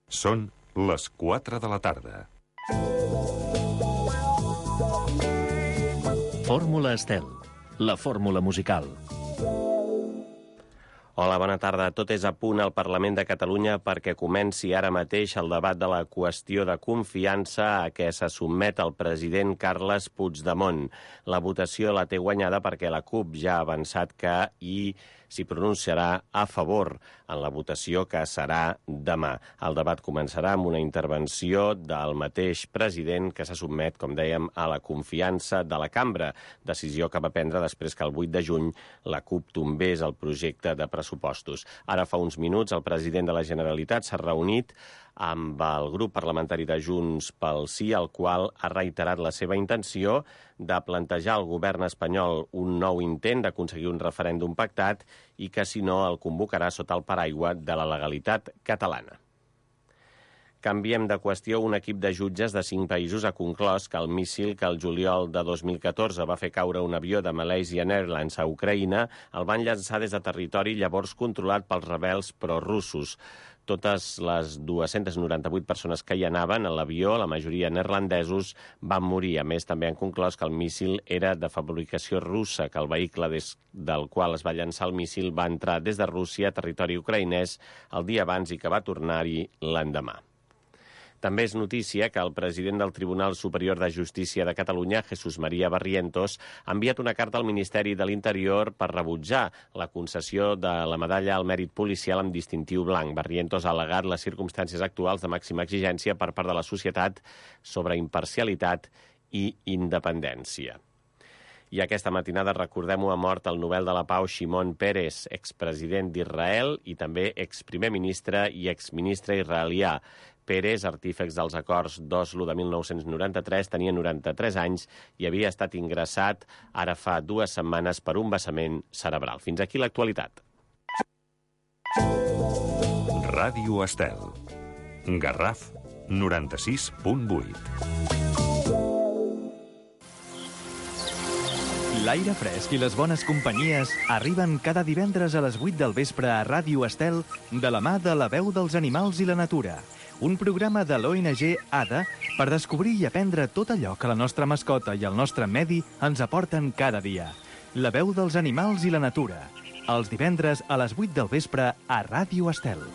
Són les 4 de la tarda. Fórmula Estel, la fórmula musical. Hola, bona tarda. Tot és a punt al Parlament de Catalunya perquè comenci ara mateix el debat de la qüestió de confiança a què se sotmet el president Carles Puigdemont. La votació la té guanyada perquè la CUP ja ha avançat que s'hi pronunciarà a favor en la votació que serà demà. El debat començarà amb una intervenció del mateix president que se sotmet, com dèiem, a la confiança de la cambra, decisió que va prendre després que el 8 de juny la CUP tombés el projecte de pressupostos. Ara fa uns minuts el president de la Generalitat s'ha reunit amb el grup parlamentari de Junts pel Sí, el qual ha reiterat la seva intenció de plantejar al govern espanyol un nou intent d'aconseguir un referèndum pactat i que, si no, el convocarà sota el paraigua de la legalitat catalana. Canviem de qüestió. Un equip de jutges de 5 països ha conclòs que el míssil que el juliol de 2014 va fer caure un avió de Malaysian Airlines a Ucraïna el van llançar des de territori llavors controlat pels rebels prorussos. Totes les 298 persones que hi anaven a l'avió, la majoria neerlandesos, van morir. A més, també han conclòs que el míssil era de fabricació russa, que el vehicle del qual es va llançar el míssil va entrar des de Rússia a territori ucraïnès el dia abans i que va tornar-hi l'endemà. També és notícia que el president del Tribunal Superior de Justícia de Catalunya, Jesús María Barrientos, ha enviat una carta al Ministeri de l'Interior per rebutjar la concessió de la medalla al mèrit policial amb distintiu blanc. Barrientos ha al·legat les circumstàncies actuals de màxima exigència per part de la societat sobre imparcialitat i independència. I aquesta matinada, recordem-ho, ha mort el Nobel de la Pau Shimon Peres, expresident d'Israel i també exprimer ministre i exministre israelià. Peres, artífex dels acords d'Oslo de 1993, tenia 93 anys i havia estat ingressat ara fa 2 setmanes per un vessament cerebral. Fins aquí l'actualitat. Ràdio Estel. Garraf 96.8. L'aire fresc i les bones companyies arriben cada divendres a les 8 del vespre a Ràdio Estel de la mà de La Veu dels Animals i la Natura, un programa de l'ONG ADA per descobrir i aprendre tot allò que la nostra mascota i el nostre medi ens aporten cada dia. La Veu dels Animals i la Natura, els divendres a les 8 del vespre a Ràdio Estel.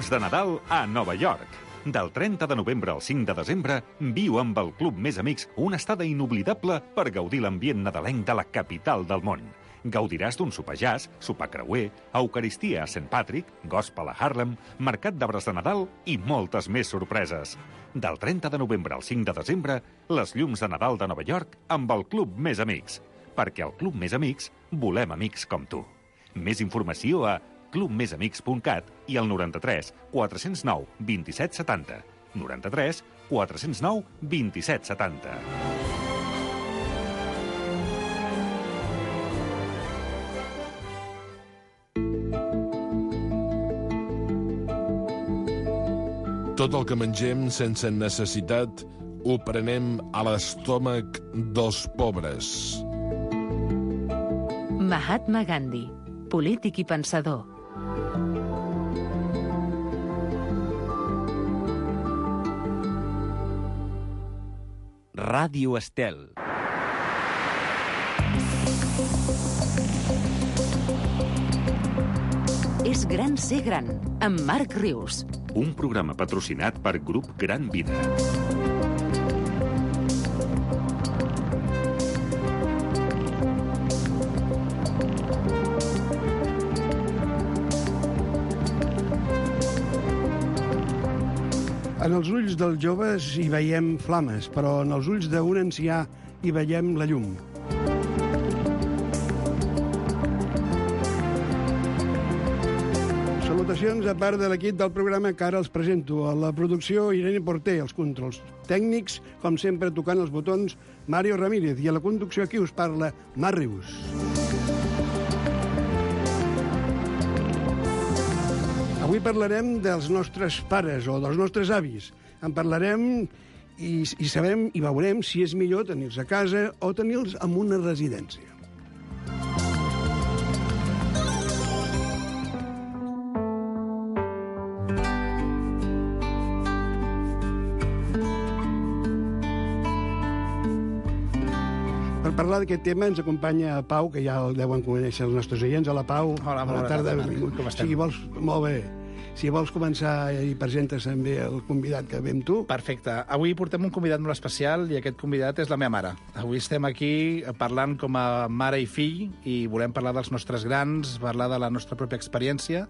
De Nadal a Nova York. Del 30 de novembre al 5 de desembre, viu amb el Club Més Amics una estada inoblidable per gaudir l'ambient nadalenc de la capital del món. Gaudiràs d'un sopar jazz, sopar creuer, eucaristia a St. Patrick, gospel a Harlem, mercat d'arbres de Nadal i moltes més sorpreses. Del 30 de novembre al 5 de desembre, les llums de Nadal de Nova York amb el Club Més Amics. Perquè al Club Més Amics volem amics com tu. Més informació a clubmesamics.cat i al 93 409 27 70. 93 409 27 70. Tot el que mengem sense necessitat ho prenem a l'estómac dels pobres. Mahatma Gandhi, polític i pensador. Ràdio Estel. És gran ser gran, amb Marc Rius. Un programa patrocinat per Grup Gran Vida. En els ulls dels joves hi veiem flames, però en els ulls d'un ancià hi veiem la llum. Salutacions a part de l'equip del programa que ara els presento. A la producció, Irene Porter, els controls tècnics, com sempre tocant els botons, Mario Ramírez, i a la conducció aquí us parla Marc Rius. Avui parlarem dels nostres pares o dels nostres avis. En parlarem i sabem i veurem si és millor tenir-los a casa o tenir-los en una residència. Per parlar d'aquest tema ens acompanya Pau, que ja el deuen conèixer els nostres oients. Hola, Pau. Hola, bona tarda. Com estem? Molt bé. Si vols començar i presentes també el convidat que ve amb tu. Perfecte. Avui portem un convidat molt especial i aquest convidat és la meva mare. Avui estem aquí parlant com a mare i fill i volem parlar dels nostres grans, parlar de la nostra pròpia experiència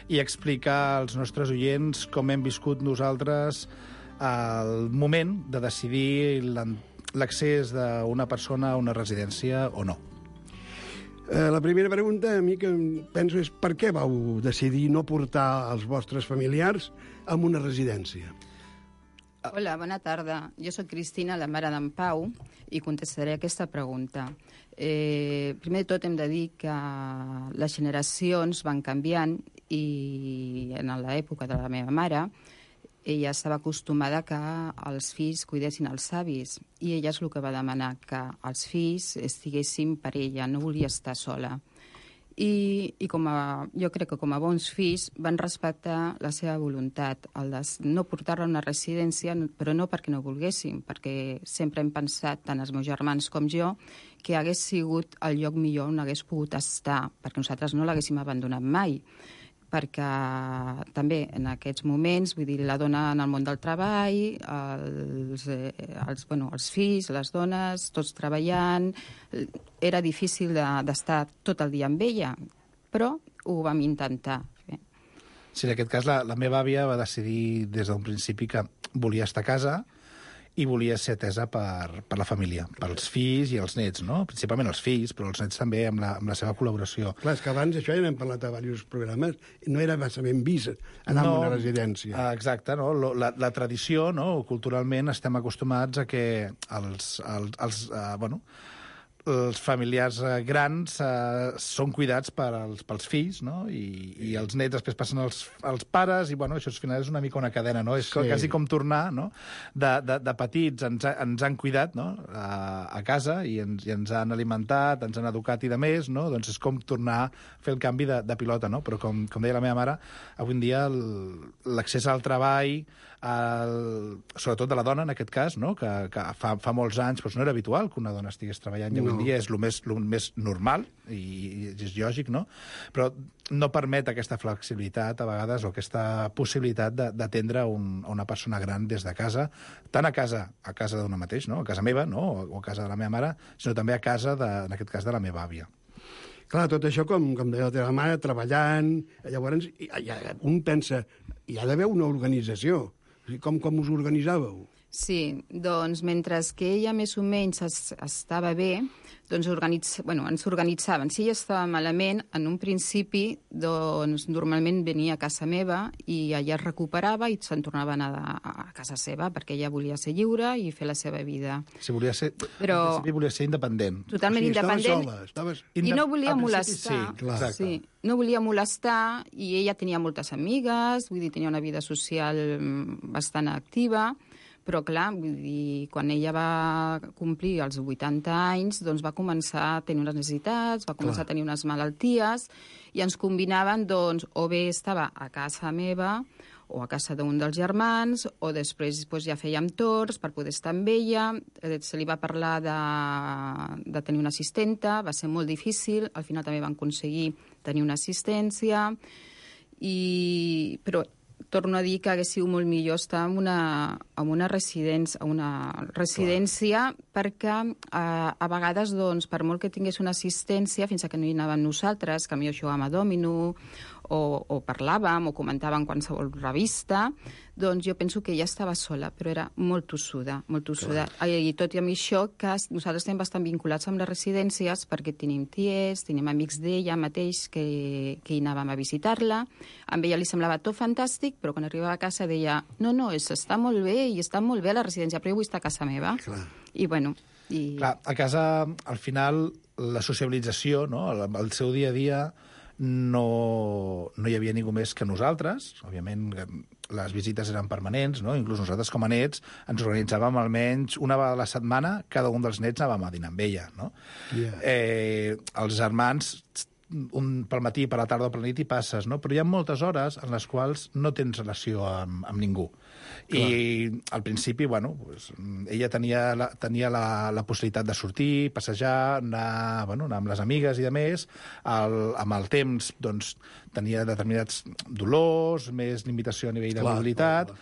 i explicar als nostres oients com hem viscut nosaltres el moment de decidir l'accés d'una persona a una residència o no. La primera pregunta, a mi que penso, és per què vau decidir no portar els vostres familiars a una residència? Hola, bona tarda. Jo sóc Cristina, la mare d'en Pau, i contestaré aquesta pregunta. Primer de tot hem de dir que les generacions van canviant i en l'època de la meva mare ella estava acostumada que els fills cuidessin els avis i ella és el que va demanar, que els fills estiguessin per ella, no volia estar sola. I jo crec que com a bons fills van respectar la seva voluntat, el de no portar-la a una residència, però no perquè no volguessin, perquè sempre hem pensat, tant els meus germans com jo, que hagués sigut el lloc millor on hagués pogut estar, perquè nosaltres no l'haguéssim abandonat mai, perquè també en aquests moments, vull dir, la dona en el món del treball, els fills, les dones, tots treballant, era difícil d'estar tot el dia amb ella, però ho vam intentar fer. Sí, en aquest cas la meva àvia va decidir des d'un principi que volia estar a casa i volia ser atesa per la família, pels fills i els nets, no? Principalment els fills, però els nets també amb la seva col·laboració. Clar, és que abans això ja n'hem parlat a diversos programes, no era massa ben vist anar a una residència. Exacte, no? La tradició, no? Culturalment estem acostumats a que els familiars grans són cuidats pels fills, no? I els nets després passen als pares i, bueno, això al final és una mica una cadena, no? És quasi com tornar, no? De petits ens han cuidat, no? A casa i ens han alimentat, ens han educat i de més, no? Doncs és com tornar a fer el canvi de pilota, no? Però com deia la meva mare, avui en dia l'accés al treball, sobretot de la dona en aquest cas, no? Que fa molts anys doncs no era habitual que una dona estigués treballant i avui en dia és el més normal i és lògic, no? Però no permet aquesta flexibilitat a vegades o aquesta possibilitat d'atendre una persona gran des de casa, tant a casa d'una mateix, no? A casa meva, no? O a casa de la meva mare, sinó també a casa, en aquest cas, de la meva àvia. Clar, tot això, com deia la teva mare, treballant, llavors un pensa, hi ha d'haver una organització. Com us organitzàveu? Sí, doncs mentre que ella més o menys estava bé, doncs ens organitzaven. Si ella estava malament, en un principi, doncs normalment venia a casa meva i allà es recuperava i se'n tornava a anar a casa seva, perquè ella volia ser lliure i fer la seva vida. Sí, volia ser independent. Totalment independent. I no volia molestar. Sí, clar. Sí, no volia molestar i ella tenia moltes amigues, vull dir, tenia una vida social bastant activa, però clar, vull dir, quan ella va complir els 80 anys, doncs va començar a tenir unes necessitats, va començar a tenir unes malalties, i ens combinaven, doncs, o bé estava a casa meva, o a casa d'un dels germans, o després ja fèiem torns per poder estar amb ella. Se li va parlar de tenir una assistenta, va ser molt difícil, al final també van aconseguir tenir una assistència, però torno a dir que hagués sigut molt millor estar en una residència perquè a vegades, doncs, per molt que tingués una assistència, fins que no hi anàvem nosaltres, que millor jugàvem a dòmino o parlàvem o comentàvem qualsevol revista, doncs jo penso que ella estava sola, però era molt tossuda, molt tossuda. I tot i amb això, que nosaltres estem bastant vinculats amb les residències perquè tenim ties, tenim amics d'ella mateix que hi anàvem a visitar-la. A ella li semblava tot fantàstic, però quan arribava a casa deia no, està molt bé i està molt bé a la residència, però jo vull estar a casa meva. Clar. I bueno... Clar, a casa, al final, la sociabilització, no? El seu dia a dia no hi havia ningú més que nosaltres. Òbviament, les visites eren permanents, no? Inclús nosaltres, com a nets, ens organitzàvem almenys una vegada a la setmana, cada un dels nets anàvem a dinar amb ella, no? Yeah. Els germans, pel matí, per la tarda o per la nit hi passes, no? Però hi ha moltes hores en les quals no tens relació amb ningú. I al principi, bueno, pues, ella tenia la possibilitat de sortir, passejar, anar amb les amigues i de més. Amb el temps, doncs, tenia determinats dolors, més limitació a nivell de mobilitat,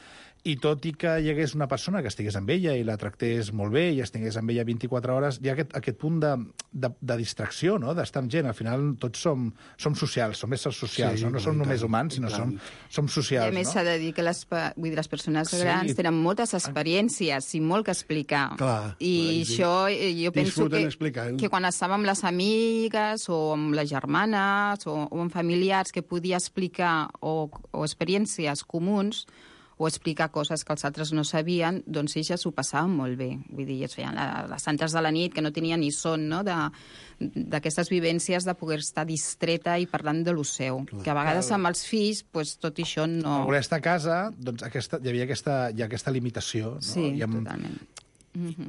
i tot i que hi hagués una persona que estigués amb ella i la tractés molt bé i estigués amb ella 24 hores, hi ha aquest punt de distracció, no?, d'estar amb gent. Al final tots som socials, som éssers socials, no som només humans, sinó som socials. I a més s'ha de dir que les persones grans tenen moltes experiències i molt que explicar. I això jo penso que quan estava amb les amigues o amb les germanes o amb familiars que podia explicar o experiències comuns o explicar coses que els altres no sabien, doncs elles ho passaven molt bé. Vull dir, es feien les santes de la nit, que no tenien ni son, no?, d'aquestes vivències de poder estar distreta i parlant de lo seu. Que a vegades amb els fills, tot això no... A voler estar a casa, doncs hi havia aquesta limitació. No? Sí, totalment.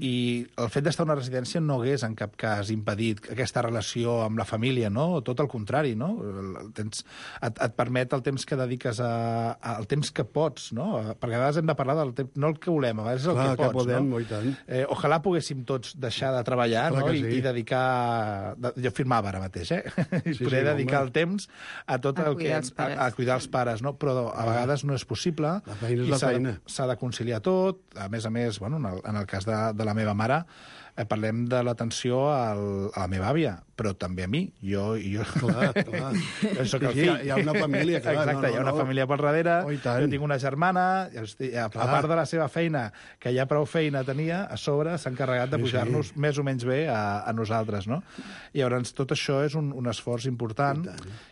I el fet d'estar a una residència no hagués en cap cas impedit aquesta relació amb la família, no? Tot el contrari, no? Et permet el temps que dediques al temps que pots, no? Perquè a vegades hem de parlar del temps, no el que volem, a vegades és el que pots, podem, no? I tant. Ojalà poguéssim tots deixar de treballar, no? I dedicar... Jo firmava ara mateix, I poder dedicar el temps a tot el que... A cuidar els pares, no? Però a vegades no és possible. La feina és la feina. S'ha de conciliar tot. A més, en el cas de la meva mare, parlem de l'atenció a la meva àvia, però també a mi. Clar. Soc el fill. Hi ha una família, clar. Exacte, hi ha una família pel darrere. Jo tinc una germana, a part de la seva feina, que ja prou feina tenia, a sobre s'ha encarregat de pujar-nos més o menys bé a nosaltres, no? I llavors tot això és un esforç important.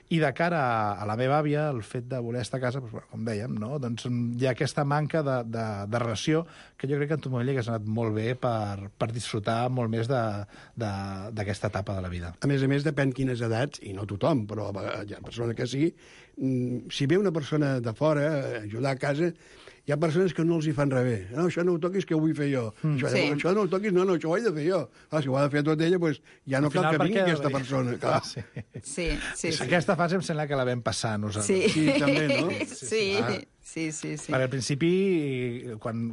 I de cara a la meva àvia, el fet de voler estar a casa, com dèiem, no? Doncs hi ha aquesta manca de relació que jo crec que en tot moment li hagués anat molt bé per disfrutar molt més d'aquesta etapa de la vida. A més, depèn quines edats, i no tothom, però hi ha persones que sí. Si ve una persona de fora a ajudar a casa, hi ha persones que no els hi fan res bé. No, això no ho toquis, que ho vull fer jo. Això no ho toquis, no, això ho he de fer jo. Si ho ha de fer tot ella, doncs ja no cal que vingui aquesta persona. Clar. Sí. Aquesta fase em sembla que la vam passar nosaltres. Sí, també, no? Sí. Perquè al principi, quan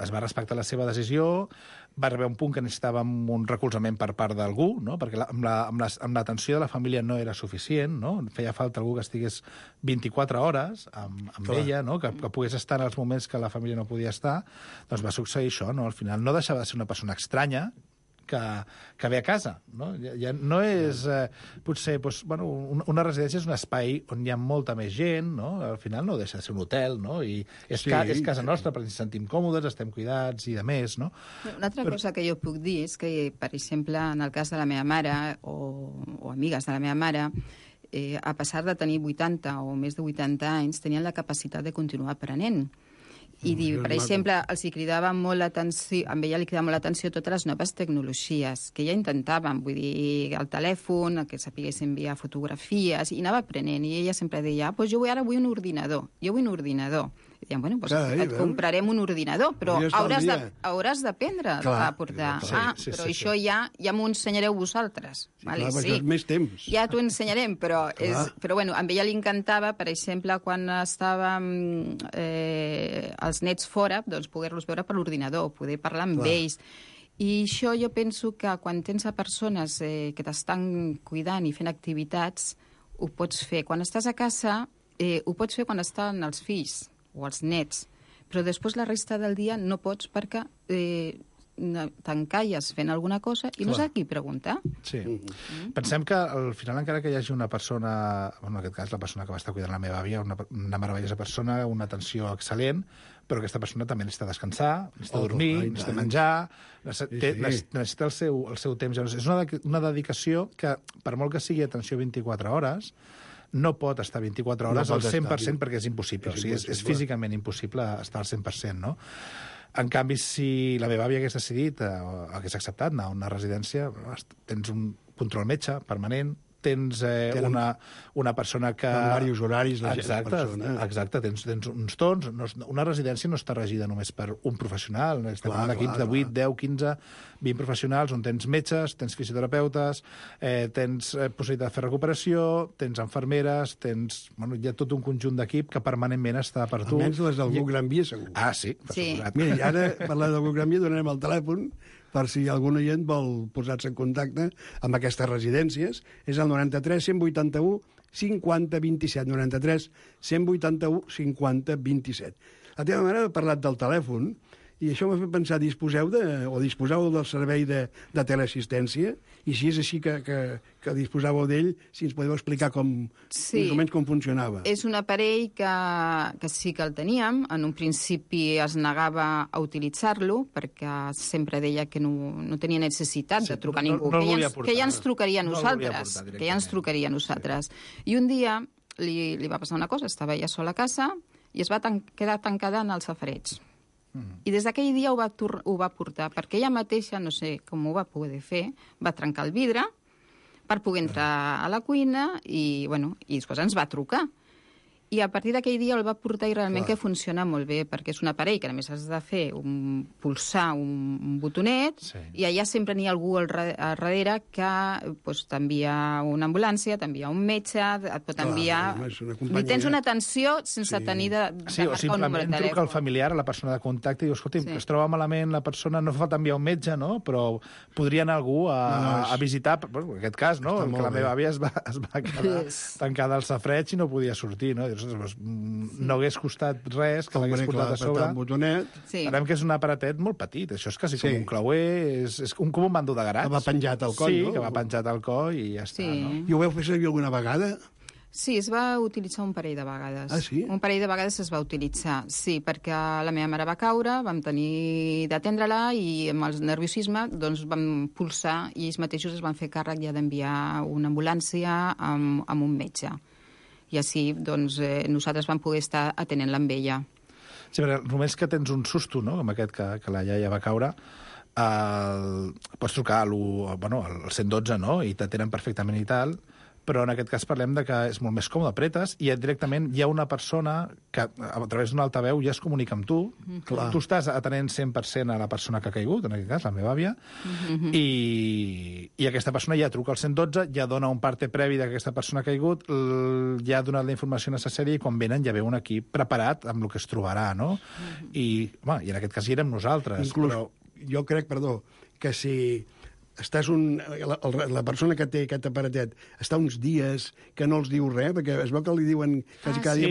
es va respectar la seva decisió, va arribar un punt que necessitàvem un recolzament per part d'algú, no? Perquè amb l'atenció de la família no era suficient, no? Feia falta algú que estigués 24 hores amb ella, no? Que pogués estar en els moments que la família no podia estar. Doncs va succeir això, no? Al final no deixava de ser una persona estranya, que ve a casa, no? Ja no és... potser, una residència és un espai on hi ha molta més gent, no? Al final no deixa de ser un hotel, no? I és casa nostra perquè ens sentim còmodes, estem cuidats i de més, no? Una altra cosa que jo puc dir és que, per exemple, en el cas de la meva mare o amigues de la meva mare, a pesar de tenir 80 o més de 80 anys, tenien la capacitat de continuar aprenent. I, per exemple, els cridava molt l'atenció, amb ella li cridava molt l'atenció totes les noves tecnologies, que ella intentaven, vull dir, el telèfon, que sapigués enviar fotografies, i anava aprenent, i ella sempre deia, jo ara vull un ordinador, I dèiem, et comprarem un ordinador, però hauràs d'aprendre a portar. Però això ja m'ho ensenyareu vosaltres. Sí, més temps. Ja t'ho ensenyarem, però amb ella li encantava, per exemple, quan estàvem els nets fora, doncs poder-los veure per l'ordinador, poder parlar amb ells. I això jo penso que quan tens a persones que t'estan cuidant i fent activitats, ho pots fer. Quan estàs a casa, ho pots fer quan estan els fills o els nets, però després la resta del dia no pots perquè t'encalles fent alguna cosa i no saps a qui preguntar. Sí. Pensem que al final, encara que hi hagi una persona, en aquest cas la persona que va estar cuidant la meva àvia, una meravellosa persona, una atenció excel·lent, però aquesta persona també necessita descansar, necessita dormir, necessita menjar, necessita el seu temps. És una dedicació que, per molt que sigui atenció 24 hores, no pot estar 24 hores al 100% perquè és impossible. O sigui, és físicament impossible estar al 100%, no? En canvi, si la meva àvia hagués decidit, hagués acceptat anar a una residència, tens un control metge permanent, tens una persona que... Amb diversos horaris, la persona. Exacte, tens uns tons. Una residència no està regida només per un professional. Estem en equips de 8, 10, 15, 20 professionals on tens metges, tens fisioterapeutes, tens possibilitat de fer recuperació, tens infermeres, tens... Bueno, hi ha tot un conjunt d'equip que permanentment està per tu. Almenys les d'algú Gran Via, segur. Ah, sí. Mira, ara, parlant d'algú Gran Via, donarem el telèfon per si algun oient vol posar-se en contacte amb aquestes residències. És el 93 181 50 27. 93 181 50 27. La teva mare ha parlat del telèfon i això m'ha fet pensar, disposeu del servei de teleassistència? I si és així que disposàveu d'ell, si ens podeu explicar més o menys com funcionava. És un aparell que sí que el teníem. En un principi es negava a utilitzar-lo perquè sempre deia que no tenia necessitat de trucar a ningú, que ja ens trucaria a nosaltres. I un dia li va passar una cosa, estava ella sola a casa i es va quedar tancada en el safareig. I des d'aquell dia ho va portar, perquè ella mateixa, no sé com ho va poder fer, va trencar el vidre per poder entrar a la cuina i després ens va trucar. I a partir d'aquell dia el va portar i realment que funciona molt bé, perquè és un aparell que a més has de fer pulsar un botonet i allà sempre n'hi ha algú al darrere que t'envia una ambulància, t'envia un metge, et pot enviar... Li tens una atenció sense tenir de marcar un número de telèfon. Truca al familiar, a la persona de contacte, i dius, escolta, es troba malament la persona, no fa falta enviar un metge, no? Però podria anar algú a visitar, en aquest cas, no? Que la meva àvia es va quedar tancada al safareig i no podia sortir, no? No hagués costat res que l'hagués portat a sobre. Sabem que és un aparatet molt petit, això és quasi com un clauer, és com un mando de garatge. Que va penjat al coll, no? Sí, que va penjat al coll i ja està, no? I ho veu fer servir alguna vegada? Sí, es va utilitzar un parell de vegades. Ah, sí? Un parell de vegades es va utilitzar, sí, perquè la meva mare va caure, vam tenir d'atendre-la i amb el nerviosisme vam pulsar i ells mateixos es van fer càrrec ja d'enviar una ambulància amb un metge. I així, nosaltres vam poder estar atenent-la amb ella. Sí, perquè només que tens un susto, no?, com aquest que la iaia va caure, pots trucar al 112, no?, i t'atenen perfectament i tal, però en aquest cas parlem de que és molt més còmode, apretes i directament hi ha una persona que a través d'un altaveu ja es comunica amb tu. Tu estàs atenent 100% a la persona que ha caigut, en aquest cas, la meva àvia, i aquesta persona ja truca al 112, ja dona un parte previ d'aquesta persona que ha caigut, ja ha donat la informació necessària i quan venen ja ve un equip preparat amb el que es trobarà, no? I en aquest cas hi érem nosaltres. Inclús, jo crec, que si la persona que té aquest aparatet està uns dies que no els diu res, perquè es veu que li diuen quasi cada dia,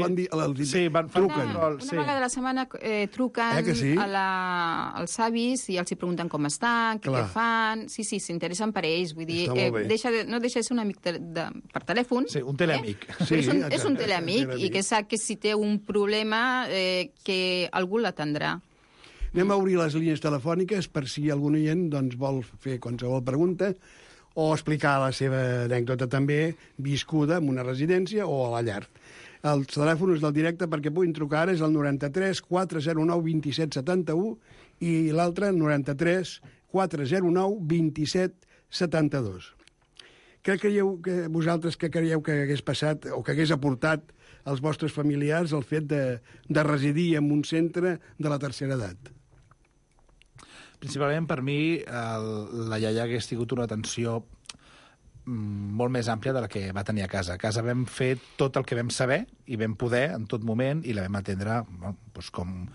truquen. Una vegada a la setmana truquen als avis i els hi pregunten com estan, què fan. Sí, s'interessen per ells. Vull dir, no deixa de ser un amic per telèfon. Sí, un teleamic. És un teleamic i que sap que si té un problema que algú l'atendrà. Anem a obrir les línies telefòniques per si algun oient vol fer qualsevol pregunta o explicar la seva anècdota també viscuda en una residència o a la llar. Els telèfons del directe perquè puguin trucar ara és el 93 409 27 71 i l'altre el 93 409 27 72. Què creieu que vosaltres que hagués passat o que hagués aportat als vostres familiars el fet de residir en un centre de la tercera edat? Principalment, per mi, la iaia hagués tingut una atenció molt més àmplia de la que va tenir a casa. A casa vam fer tot el que vam saber i vam poder en tot moment i la vam atendre com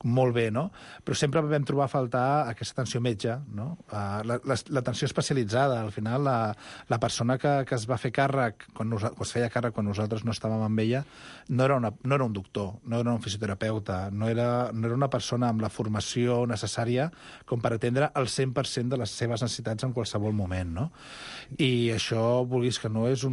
molt bé, no? Però sempre vam trobar a faltar aquesta atenció metge, no? L'atenció especialitzada. Al final, la persona que es va fer càrrec, es feia càrrec quan nosaltres no estàvem amb ella, no era un doctor, no era un fisioterapeuta, no era una persona amb la formació necessària com per atendre el 100% de les seves necessitats en qualsevol moment, no? I això, vulguis que no, es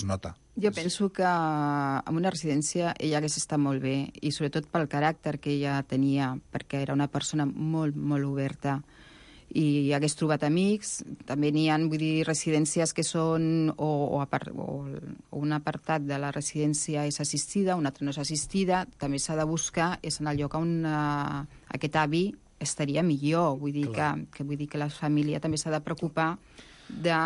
nota. Jo penso que en una residència ella hagués estat molt bé, i sobretot pel caràcter que ella tenia, perquè era una persona molt, molt oberta, i hagués trobat amics. També n'hi ha, residències que són o un apartat de la residència és assistida, un altre no és assistida. També s'ha de buscar, és en el lloc on aquest avi estaria millor. Vull dir que la família també s'ha de preocupar de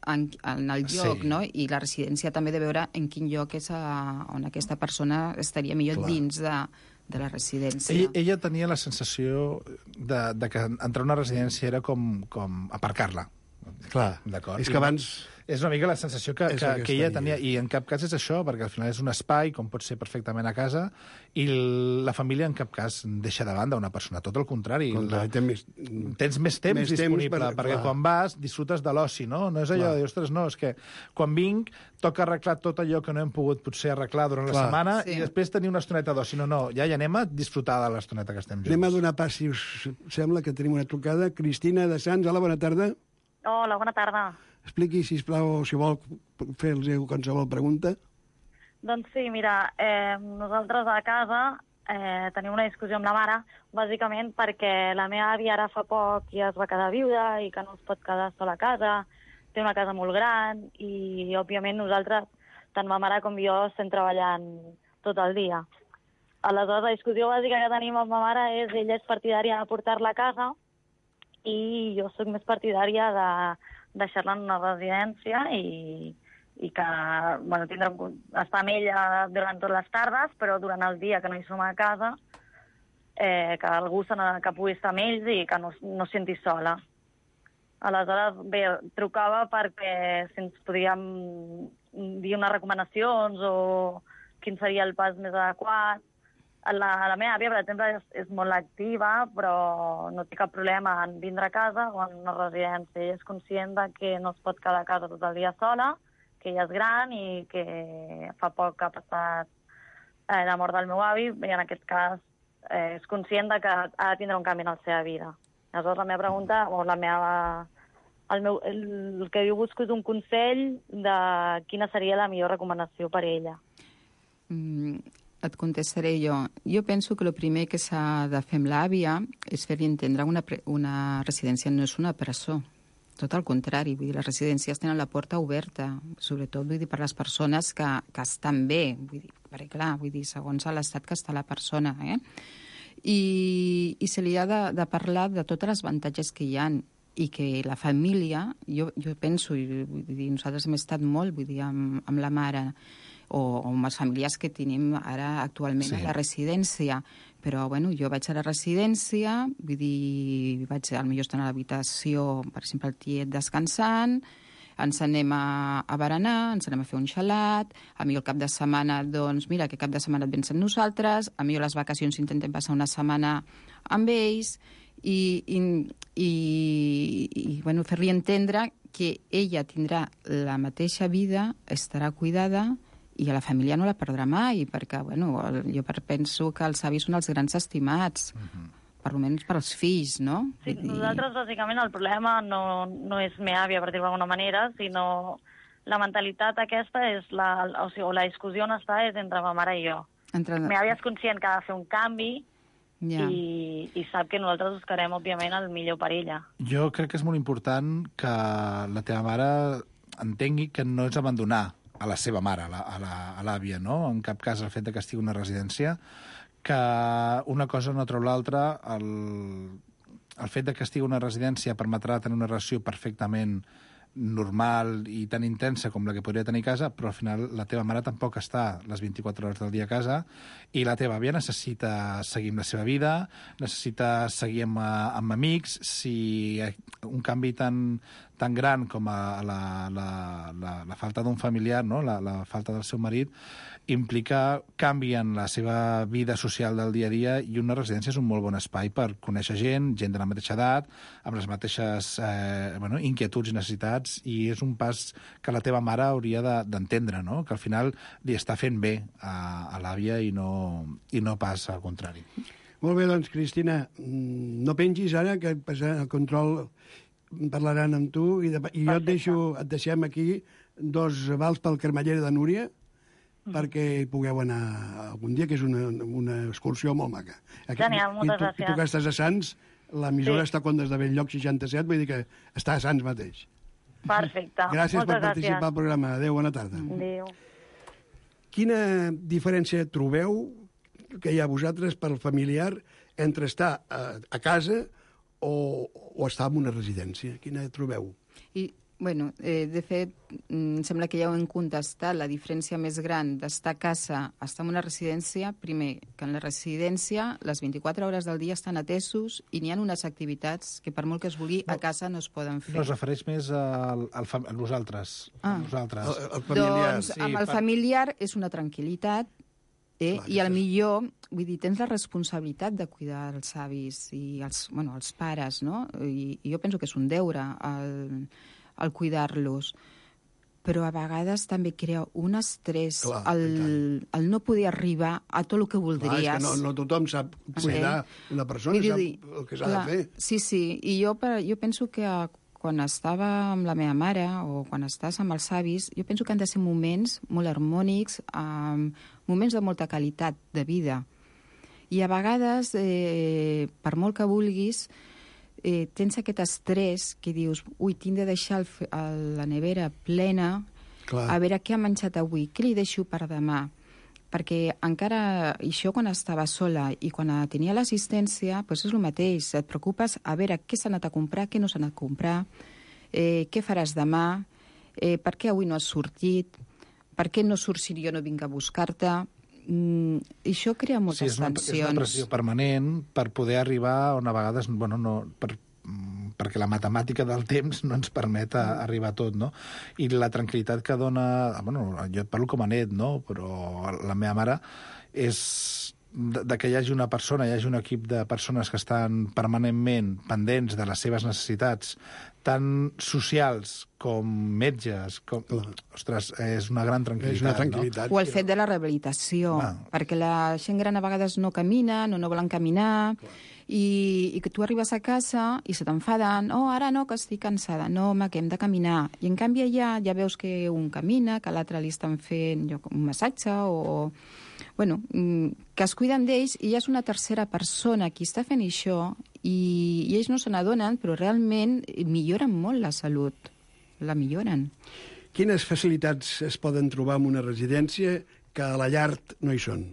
en el lloc, no? I la residència també de veure en quin lloc és on aquesta persona estaria millor dins de la residència. Ella tenia la sensació de que entrar a una residència era com aparcar-la. Clar, és que abans... És una mica la sensació que ella tenia, i en cap cas és això, perquè al final és un espai, com pot ser perfectament a casa, i la família en cap cas deixa de banda una persona, tot el contrari. Tens més temps disponible, perquè quan vas disfrutes de l'oci, no? No és allò de, ostres, no, és que quan vinc toca arreglar tot allò que no hem pogut potser arreglar durant la setmana i després tenir una estoneta d'oci. No, ja anem a disfrutar de l'estoneta que estem junts. Anem a donar pas, si us sembla, que tenim una trucada. Cristina de Sants, hola, bona tarda. Hola, bona tarda. Expliqui, sisplau, si vol fer-los qualsevol pregunta. Doncs sí, mira, nosaltres a casa tenim una discussió amb la mare, bàsicament perquè la meva àvia ara fa poc ja es va quedar viuda i que no es pot quedar sola a casa, té una casa molt gran i, òbviament, nosaltres, tant ma mare com jo, estem treballant tot el dia. Aleshores, la discussió bàsica que tenim amb ma mare és ella és partidària de portar-la a casa i jo sóc més partidària de deixar-la en una residència i que estar amb ella durant totes les tardes, però durant el dia que no hi som a casa, que algú que pugui estar amb ells i que no es senti sola. Aleshores, bé, trucava perquè si ens podíem dir unes recomanacions o quin seria el pas més adequat. La meva àvia, per exemple, és molt activa, però no té cap problema en vindre a casa o en una residència. Ella és conscient que no es pot quedar a casa tot el dia sola, que ella és gran i que fa poc que ha passat la mort del meu avi, i en aquest cas és conscient que ha de tindre un canvi en la seva vida. Aleshores, la meva pregunta, o el que jo busco és un consell de quina seria la millor recomanació per a ella. Et contestaré jo. Jo penso que el primer que s'ha de fer amb l'àvia és fer-li entendre una residència no és una presó. Tot el contrari, vull dir, les residències tenen la porta oberta, sobretot vull dir, per les persones que estan bé, vull dir, perquè clar, vull dir, segons l'estat que està la persona, I se li ha de parlar de tots els avantatges que hi ha i que la família, jo penso, vull dir, nosaltres hem estat molt, vull dir, amb la mare, o amb els familiars que tenim ara actualment a la residència. Però, bueno, jo vaig a la residència, vull dir, potser estar a l'habitació, per exemple, el tiet descansant, ens anem a berenar, ens anem a fer un xalat, a mi el cap de setmana, doncs, mira, que cap de setmana et vens amb nosaltres, a mi les vacacions intentem passar una setmana amb ells, i bueno, fer-li entendre que ella tindrà la mateixa vida, estarà cuidada, i a la família no la perdrà mai, perquè, bueno, jo penso que els avis són els grans estimats, per almenys per als fills, no? Sí, nosaltres, bàsicament, el problema no és meva àvia, per dir-ho d'alguna manera, sinó la mentalitat aquesta és la discussió on està és entre ma mare i jo. Meva àvia és conscient que ha de fer un canvi i sap que nosaltres buscarem, òbviament, el millor per ella. Jo crec que és molt important que la teva mare entengui que no és abandonar a la seva mare, a l'àvia, no? En cap cas el fet que estigui una residència, que una cosa no treu l'altra, el fet que estigui una residència permetrà tenir una relació perfectament normal i tan intensa com la que podria tenir a casa, però al final la teva mare tampoc està les 24 hores del dia a casa i la teva àvia necessita seguir amb la seva vida, necessita seguir amb amics. Si un canvi tan gran com la falta d'un familiar, no? la falta del seu marit, implica canvi en la seva vida social del dia a dia, i una residència és un molt bon espai per conèixer gent de la mateixa edat, amb les mateixes inquietuds i necessitats, i és un pas que la teva mare hauria d'entendre, no? Que al final li està fent bé a l'àvia i no pas al contrari. Molt bé, doncs, Cristina, no pengis ara, que el control parlaran amb tu, i jo et deixem aquí 2 vals pel Carmellera de Núria, perquè hi pugueu anar algun dia, que és una excursió molt maca. Genial, moltes gràcies. I tu que estàs a Sants, l'emissora està a Condes de Bell-lloc 67, vull dir que està a Sants mateix. Perfecte. Gràcies per participar al programa. Adéu, bona tarda. Adéu. Quina diferència trobeu que hi ha vosaltres pel familiar entre estar a casa o estar en una residència? Quina trobeu? Bueno, de fet, em sembla que ja ho hem contestat. La diferència més gran d'estar a casa, estar en una residència, primer, que en la residència les 24 hores del dia estan atesos i n'hi ha unes activitats que per molt que es vulgui a casa no es poden fer. No, es refereix més a nosaltres. Nosaltres. El familiar. Doncs amb el familiar és una tranquil·litat, i al millor, vull dir, tens la responsabilitat de cuidar els avis i els pares, no? I jo penso que és un deure el cuidar-los. Però a vegades també crea un estrès el no poder arribar a tot el que voldries. Clar, és que no tothom sap cuidar una persona, sap el que s'ha de fer. Sí, i jo penso que quan estava amb la meva mare o quan estàs amb els avis, jo penso que han de ser moments molt harmònics, moments de molta qualitat de vida. I a vegades, per molt que vulguis, tens aquest estrès que dius, tinc de deixar la nevera plena, a veure què ha menjat avui, què li deixo per demà. Perquè encara, això quan estava sola i quan tenia l'assistència, doncs és el mateix, et preocupes a veure què s'ha anat a comprar, què no s'ha anat a comprar, què faràs demà, per què avui no has sortit, per què no surts si jo no vinc a buscar-te. Això crea moltes tensions. És una pressió permanent per poder arribar on a vegades, perquè la matemàtica del temps no ens permet arribar a tot, no? I la tranquil·litat que dona... jo et parlo com a net, no? Però la meva mare és que hi hagi una persona, hi hagi un equip de persones que estan permanentment pendents de les seves necessitats, tant socials com metges, ostres, és una gran tranquil·litat. És una tranquil·litat. No? O el fet de la rehabilitació, perquè la gent gran a vegades no camina, no volen caminar, i que tu arribes a casa i se t'enfaden, ara no, que estic cansada, no, home, que hem de caminar. I en canvi allà ja veus que un camina, que l'altre li estan fent un massatge o que es cuiden d'ells i ja és una tercera persona qui està fent això i ells no se n'adonen, però realment milloren molt la salut, la milloren. Quines facilitats es poden trobar en una residència que a la llar no hi són?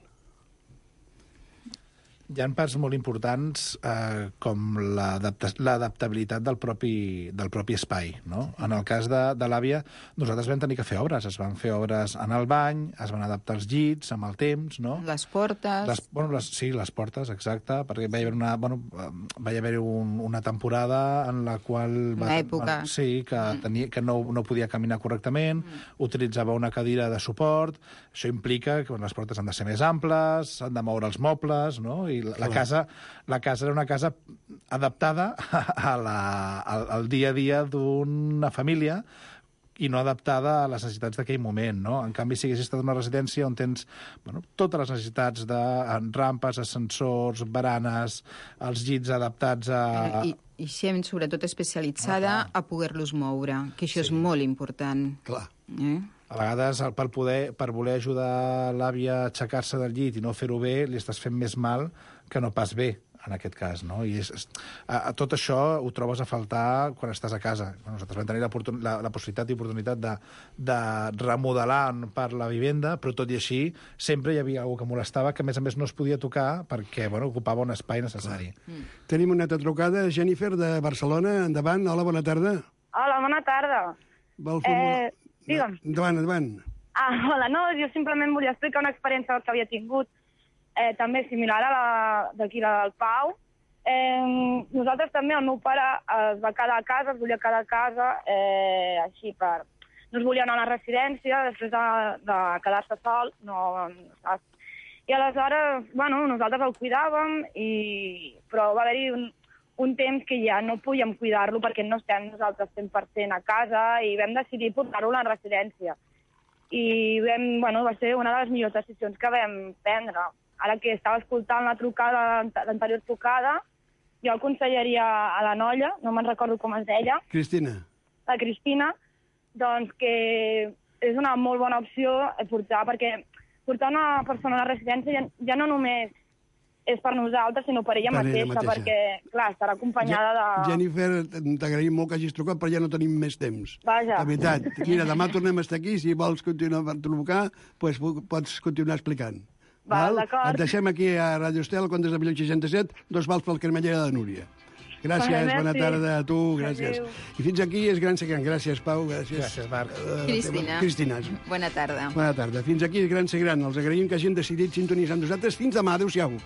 Hi ha parts molt importants com l'adaptabilitat del propi espai, no? En el cas de l'àvia, nosaltres vam tenir que fer obres. Es van fer obres en el bany, es van adaptar els llits amb el temps, no? Les portes... Sí, les portes, exacte, perquè va hi haver una temporada en la qual... Una època. Sí, que no podia caminar correctament, utilitzava una cadira de suport. Això implica que les portes han de ser més amples, s'han de moure els mobles, no? I la casa era una casa adaptada al dia a dia d'una família i no adaptada a les necessitats d'aquell moment, no? En canvi, si haguessis estat en una residència on tens totes les necessitats de rampes, ascensors, baranes, els llits adaptats a... I gent, sobretot especialitzada, a poder-los moure, que això és molt important. Clar. A vegades, per voler ajudar l'àvia a aixecar-se del llit i no fer-ho bé, li estàs fent més mal que no pas bé, en aquest cas, no? I tot això ho trobes a faltar quan estàs a casa. Nosaltres vam tenir la possibilitat i oportunitat de remodelar per la vivenda, però tot i així sempre hi havia algú que molestava, que a més no es podia tocar perquè ocupava un espai necessari. Tenim una altra trucada, Jennifer, de Barcelona. Endavant. Hola, bona tarda. Hola, bona tarda. Digue'm. Endavant. Hola, no, jo simplement volia explicar una experiència que havia tingut també similar a la d'aquí del Pau. Nosaltres també, el meu pare es va quedar a casa, es volia quedar a casa, així no es volia anar a la residència després de quedar-se sol, no saps? I aleshores, nosaltres el cuidàvem, però va haver-hi un temps que ja no podíem cuidar-lo perquè no estem nosaltres 100% a casa i vam decidir portar-lo a la residència. I va ser una de les millors decisions que vam prendre. Ara que estava escoltant l'anterior trucada, jo aconsellaria a la noia, no me'n recordo com es deia... Cristina. La Cristina, doncs que és una molt bona opció perquè portar una persona a la residència ja no només és per nosaltres, sinó per ella mateixa, perquè, clar, estarà acompanyada de... Jennifer, t'agraïm molt que hagis trucat, però ja no tenim més temps. Vaja. La veritat. Mira, demà tornem a estar aquí, si vols continuar per trucar, doncs pots continuar explicant. Val, d'acord. Et deixem aquí a Radio Estel, Contes de 1967, 2 vals pel Cremallera de Núria. Gràcies, bona tarda a tu, gràcies. Adéu. I fins aquí és Gran Ser Gran. Gràcies, Pau, gràcies. Gràcies, Marc. Cristina. Bona tarda. Bona tarda. Fins aquí és Gran Ser Gran. Els agraïm que hagin decidit sintonitzar amb nosaltres. Fins demà. Adéu-siau.